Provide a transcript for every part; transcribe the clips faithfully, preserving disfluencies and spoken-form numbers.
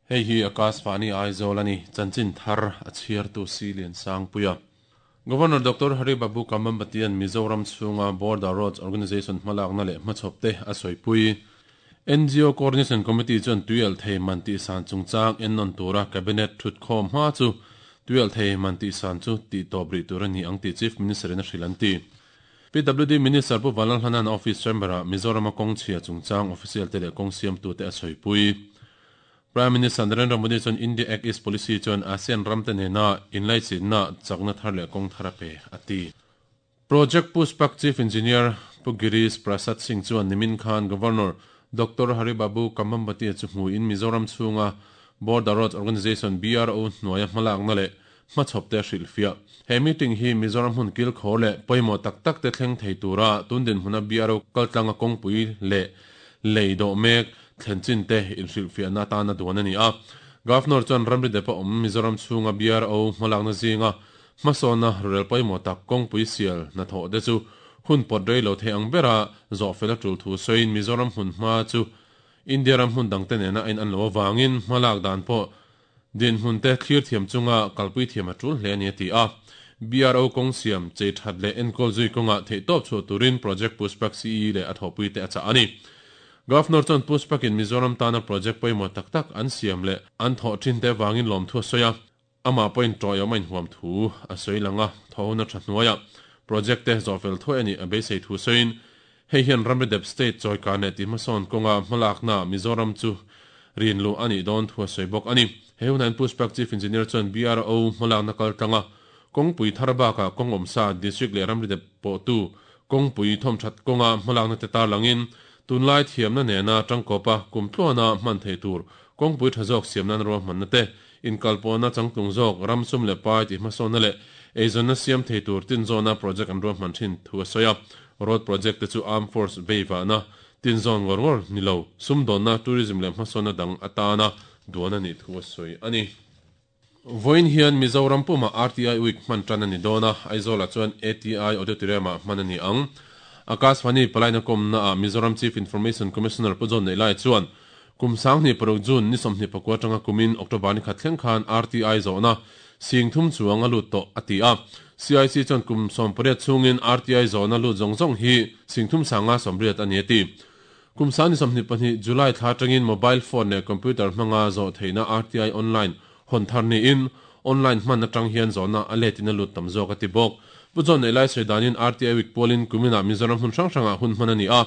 Hei hi Akashvani Aizawl ani chanchin thar a chhiartu Silian Sangpuia. Governor Doctor Hari Babu Kambhampati-an Mizoram chhunga Border Roads Organisation hmalakna leh hmachhawpte a sawipui. N G O Coordination Committee chuan tuial thei man tih san chungchang ennawn tura Cabinet thutkhawm hma chu tuial thei man tih san chu tih tawp rih tur a ni ang tih Chief Minister in a hrilh an ti. P W D Minister Pu Vanlalhlanan Office Chamber-ah Mizorama kawng chhia chungchang official te leh kawng siamtute a sawipui. Prime Minister Narendra Modi chuan India Act East Policy chuan ASEAN ramte nena inlaichinna chakna thar leh kawng thar a pe a ti. Project Pushpak Chief Engineer Pu Girish Prasad Singh chuan nimin khan Governor Doctor Hari Babu Kambhampati chu hmuin Mizoram chhunga Border Roads Organisation B R O hnuaia hmalakna leh hmachhawpte hrilh fiah. He meeting hi Mizoram hmun kil khawr leh pawimawh tak tak te thleng thei tura tundin hmuna B R O kaltlanga kawngpui leh lei dawh mek thlenchin te inhrilh fiahna atana duan a ni a. Governor chuan ramri depa awm Mizoram chhunga B R O hmalakna zinga hmasawna rel pawimawh tak kawngpui sial hnathawh te chu hun pawt rei lo thei ang bera zawh fel a tul thu sawiin Mizoram hmun hma chu India ram hmun dangte nena a in an lo awangin hmalak dan pawh din hmun te thlir thiam chunga kalpui thiam a tul hle a ni a ti a. B R O kawng siam chei that leh enkawl zui kawnga theih tawp chhuah turin Project Pushpak C E leh a thawhpui te a chah a ni. Governor chuan Pushpakin Mizoram tana project pawimawh tak tak an siam leh an thawh thin te wangin lawm thu a sawi a. Amah pawhin tawih awm a inhuam thu a sawi lang a, thawhna tha hnuaia project te zawh fel thuai a ni a beisei thu sawiin hei hian ramri dep state chawika leh ti hmasawn kawnga hmalakna Mizoram chu rin lu a nih dawn thu a sawi bawk a ni. He hunain Pushpak Chief Engineer chuan B R O hmalakna kaltlanga kawngpui thar bakah kawng awmsa district leh ramri dep pawh tu kawngpui thawm that kawnga hmalakna te tar langin tunlai thiamna nena tangkawpa kumtluana hman thei tur kawngpui tha zawk siamnan ruah hmanna te inkalpawhna changtlung zawk ramsum leh pai ti hmasawnna leh eizawnna siam thei tur tinzawna project an ruah hman thin thu a sawi a. Road project te chu Armed Force veiwahna tinzawn ngawr ngawr ni lo sumdawnna tourism leh hmasawnna dang atana duan a nih thu a sawi a ni. Vawiin hian Mizoram puma R T I Week hman tan a ni dawn a, Aizawlah chuan A T I Auditorium-ah hman a ni ang. Akashvani palaina kawmna ah Mizoram Chief Information Commissioner Pu John Nei Lai chuan kum sanghnih paruk June ni sawmhnih pakua tanga kumin October ni khat thleng khan R T I zawhna sing thum chuang a lut tawh a ti a. C I C chuan kum sawm pariat chungin R T I zawhna lut zawng zawng hi sing thum sanga sawmriat a ni a ti. Kum sang ni sawmhnih pahnih July thla tangin mobile phone leh computer hmanga zawh theihna R T I online hawn thar niin online hman atang hian zawhna a letin a lut tam zawk a ti bawk. Pu John Nei Lai sawi danin R T I Week pawlin kumina Mizoram hmun hrang hrangah hun hman a ni a.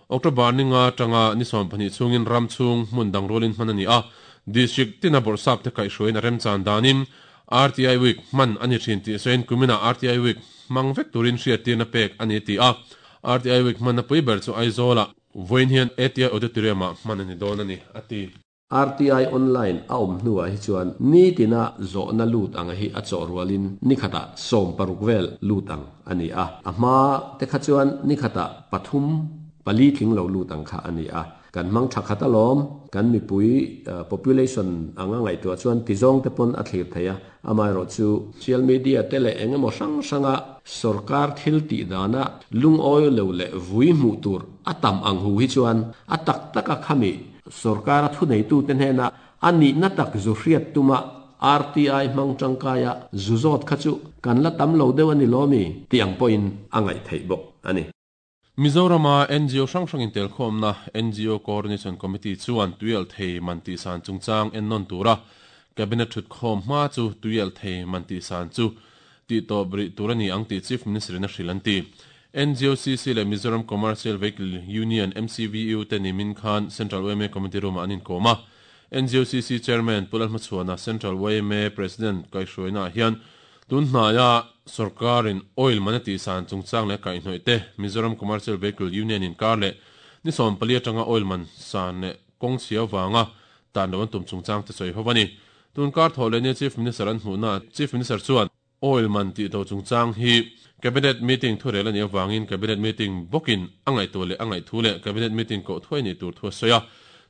October ni nga tanga ni sawm pahnih chungin ram chhung hmun dang rualin hman a ni a. District tina bawrhsap te kaihhruaiin a remchan danin R T I Week hman a ni thin tih sawiin kumina R T I Week hmang vek turin hriattirna pek a ni ti a. R T I Week hman a pui ber chu Aizawlah vawiin hian A T I Auditorium-ah hman a ni dawn a ni a ti. R T I online a awm hnuah hi chuan ni tina zawhna lut ang hi a chawh rualin ni khata sawm paruk vel lut ang a ni a. A hma te kha chuan ni khata pathum pali tling lo lut ang kha a ni a. Kan hmang tha khat alawm, kan mipui population anga ngaihtuah chuan tizawng te pawn a thlir thei a. Amaherawh chu social media te leh engemaw hrang hranga sarkar thil tih dana lungawi lo leh vui hmuh tur a tam ang hu hi chuan a tak taka khami sarkar a thu nei tu te hnena ani na tak zu hriat tuma R T I hmang tangkaia zu zawt kha chu kan la tam lo deuh ani lomi tiang pawhin a ngaih theih bawk ani. Mizorama N G O hrang hrangin tel khawmna N G O Coordination Committee chuan tuial thei man tih san chungchang ennawn tura Cabinet thut khawm hma chu tuial thei man tih san chu tih tawp rih tur a ni ang tih Chief Minister in a hrilh an ti. N G O C C leh Mizoram Commercial Vehicle Union M C V U te nimin khan Central Y M A Committee room ah an inkawm a. N G O C C Chairman Pu Lalhmachhuana Central Y M A President kaihhruaina hian tun hnaia sarkarin oil man a tih san chungchang leh kaihhnawih te Mizoram Commercial Vehicle Union in kar leh ni sawm pali atanga oil man san leh kawng chhia wanga tan lo an tum chungchang te sawi ho ani. Tun kar thaw leh ni Chief Minister an hmuhna Chief Minister chuan oil man tih to chungchang hi Cabinet meeting thu rel ani awangin Cabinet meeting bawkin a ngaihtu leh a ngaih thu leh Cabinet meeting ko thuai ni tur thu a sawi a.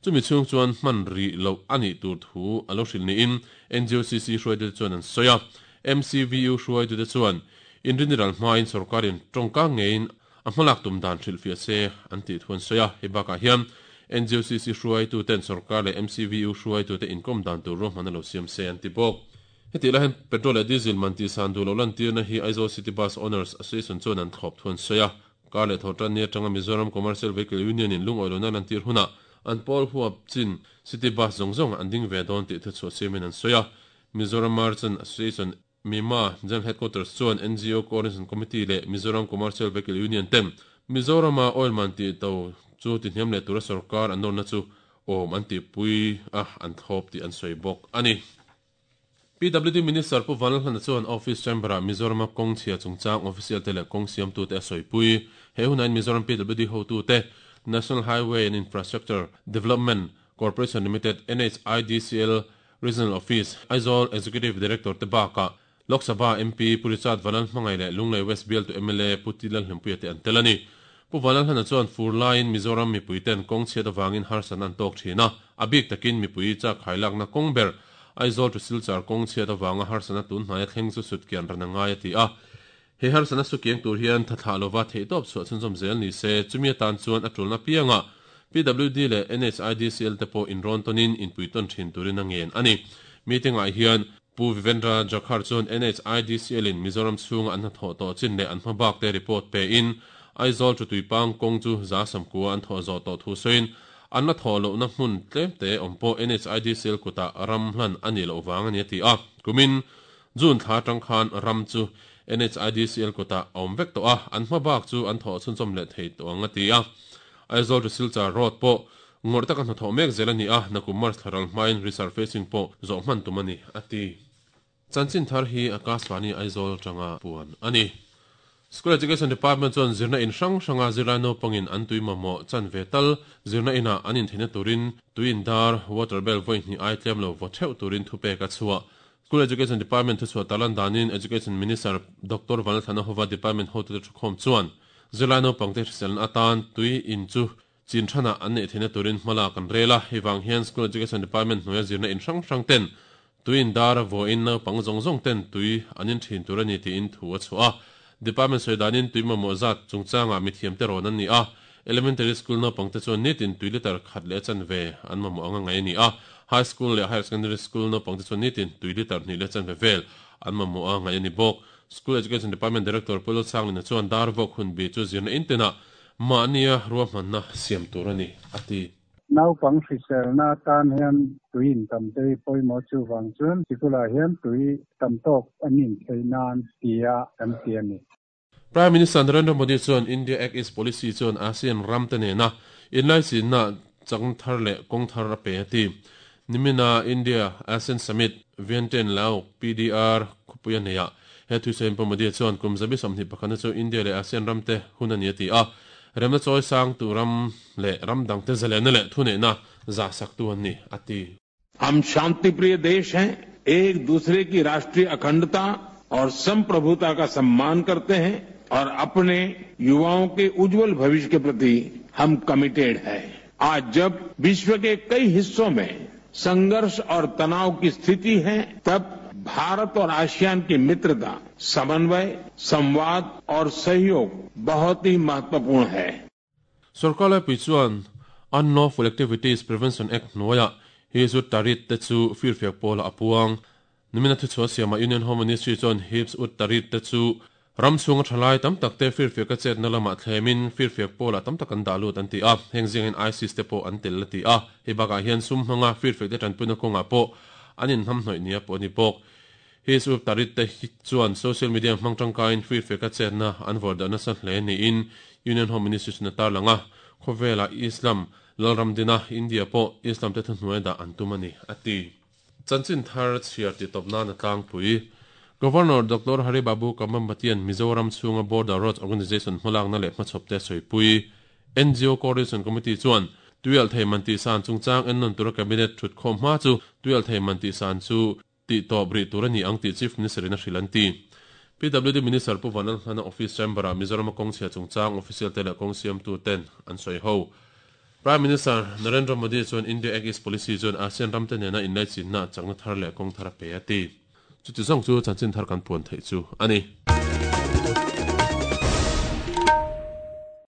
Chumi chhung chuan hman ri lo ani tur thu a lo hrilh niin N G O C C hruai te chuan an sawi a. M C V U hruai te chuan inrinral hmain sarkarin tawngka ngein a hmalak tum dan hrilh fiah se an tih thu an sawi a. Hei bakah hian N G O C C hruai tu ten sarkar le M C V U hruai tu te inkom dan tur ro hmanalo siam se an ti bawk. Heti lahin petrol le diesel man ti san du lo lan tir na hi Aizawl City Bus Owners Association chuan an thlawp thun soya. Kar le thotan ni atanga Mizoram Commercial Vehicle Union in lung oilona lan tir huna an pawl huap chin City Bus zong zong an ding ve don ti thu chu siamin an soya. Mizoram Merchant Association Mima General Headquarters chuan N G O Coordination Committee le Mizoram Commercial Vehicle Union tem Mizorama oil man ti to chu ti hniam le tura sarkar an na chu om an ti pui a an thop ti an soi bawk ani. P W D Minister Pu Vanlalhlana chuan Office Chamber a Mizoram kawng chhia chungchang official te leh kawng siam tu te a sawi pui. He hunain Mizoram P W D hotu te National Highway and Infrastructure Development Corporation Limited N H I D C L Regional Office Aizawl Executive Director te baka Lok Sabha M P Purichad Vanlalhmangai leh Lunglei West Bial to M L A Pu Tilalhlimpuia te an tel ani. Pu Vanlalhlana chuan fur laiin Mizoram mipui ten kawng chhiat awangin harsan an tawk thin a, a bik takin mipui chak hailakna kawng ber Aizawl to Silchar kawng chhiat awanga harsana tun hnaia thleng chu sutkian ran angai a ti a. He harsana sukiang tur hian thathla lova theitawp chhuah chhunzawm zel ni se chumi atan chuan a tulna pianga P W D le N H I D C L te pawh inrawn tawnin inpui tawn thin turin a ngen ani. Meeting ah hian Pu Vivendra Jakhar chuan N H I D C L in Mizoram chhunga an hnathawh tawh chin leh an hmabak te report pe in Aizawl chu tuipang kawng chu za samkua an thawh zawh tawh thu sawiin an la thawh lohna hmun tlem te awm pawh N H I D C L kutah ram hlan ani loh wang ani a ti a. Kumin June thla tang khan ram chu N H I D C L kutah awm vek tawh a, an hmabak chu an thawh chhunchawm leh thei tawh ang a ti a. Aizawl to Silchar road pawh ngawrh taka hnathawh mek zel ani a, nakum March thlaral hmain resurfacing pawh zawh hman tum ani a ti. Chanchin thar hi Akashvani Aizawl tanga puan ani. School Education Department chuan zirna in hrang hranga zirlai naupangin an tui mamawh chan ve tal zirna ina an intheihna turin tuin dar water bell vawi hnih ai tlem lo vaw theuh turin thupek a chhuah. School Education Department thu chhuah talan danin Education Minister Doctor Vanlalthlana Hova Department hotu te thukhawm chuan zirlai naupang te hriselna atan tui in chu chin thana an nei theihna turin hmala kan rela. Hei vang hian School Education Department hnuaia zirna in hrang hrang ten tuin dar vawiin naupang zawng zawng ten tui an in thin tur ani tiin thu a chhuah a. Department sawidanin tui mamawh zat chungchanga mithiam te rawn an ni a. Elementary school naupang te chuan nitin tui liter khat leh chan ve an mamawh anga ngai ani a. High school leh higher secondary school naupang te chuan nitin tui liter hnih leh chan ve vel an mamawh anga ngai ani bawk. School Education Department Director Pu Lalsanglina chuan dar vawk hun bi chu zirna intena mahnia ruahmanna siam tur ani a ti. Naupang hriselna tan hian tuin tam te pawimawh chu wang chuan sikula hian tui tam tawk an in thei nan tia kan ti ani. Prime Minister Narendra Modi chuan India Act East Policy chuan ASEAN ram te nena inlai na chang thar leh kawng thar a pe a ti. Nimina India ASEAN Summit Vientiane Lao P D R khupuia neia he thu sawiin Pu Modi chuan kum zabi sawmhnih pakhana chu India leh ASEAN ram te hun ani a ti a. Remna chawi sang tu ram le ram dang te zalena le thu neihna za sak tu an ni a ti. हम शांति प्रिय देश हैं, एक दूसरे की राष्ट्रीय अखंडता और संप्रभुता का सम्मान करते हैं और अपने युवाओं के उज्जवल भविष्य के प्रति हम कमिटेड हैं। आज जब विश्व के कई हिस्सों में संघर्ष और तनाव की स्थिति है, तब भारत और आसियान की मित्रता, समन्वय, संवाद और सहयोग बहुत ही महत्वपूर्ण है। Sarkar pui chuan Unlawful Activities Prevention Act hnuaia Hizb ut-Tahrir te chu firfiak pawla a puang. Nimina thu chhuah siama Union Home Ministry chuan Hizb ut-Tahrir te chu ram chhunga thalai tam tak te firfiak a chetna lamah thlemin firfiak pawla tam tak an dah lut an ti a. Heng zingin ISIS te pawh an tel a ti a. Hei bakah hian sum hmanga firfiak te tanpuina kawngah pawh an inhnam hnawih nia pawh ani bawk. Hizb ut-Tahrir te chuan social media hmang tangkain firfiak a chetna an vawrh dahna sa hle niin Union Home Ministry chuan a tarlang a. Khawvela Islam Lalram dina India pawh Islam te thuhnuai dah an tum ani a ti. Chanchin thar chhiar ti tawpna na tlangpui. Governor Doctor Hari Babu Kambhampatian Mizoram chhunga Border Roads Organization hmalakna leh hmachhawp te sawipui. N G O Coordination Committee chuan tuial thei man ti san chungchang en nawn tura cabinet thut khawm hma chu tuial thei man ti san chu ti tawp rih tur ani ang tih Chief Minister in a hrilh an ti. P W D Minister Pu Vanlalhlana Office Chamber ah Mizoram kawng chhia chungchang official te leh kawng siamtu ten an sawi ho. Prime Minister Narendra Modi chuan India Act East Policy chuan ASEAN ram te nena inlai chinna changna thar leh kawng thar a pe a ti. Chuti zawng chu chanchin thar kan puan theih chu ani.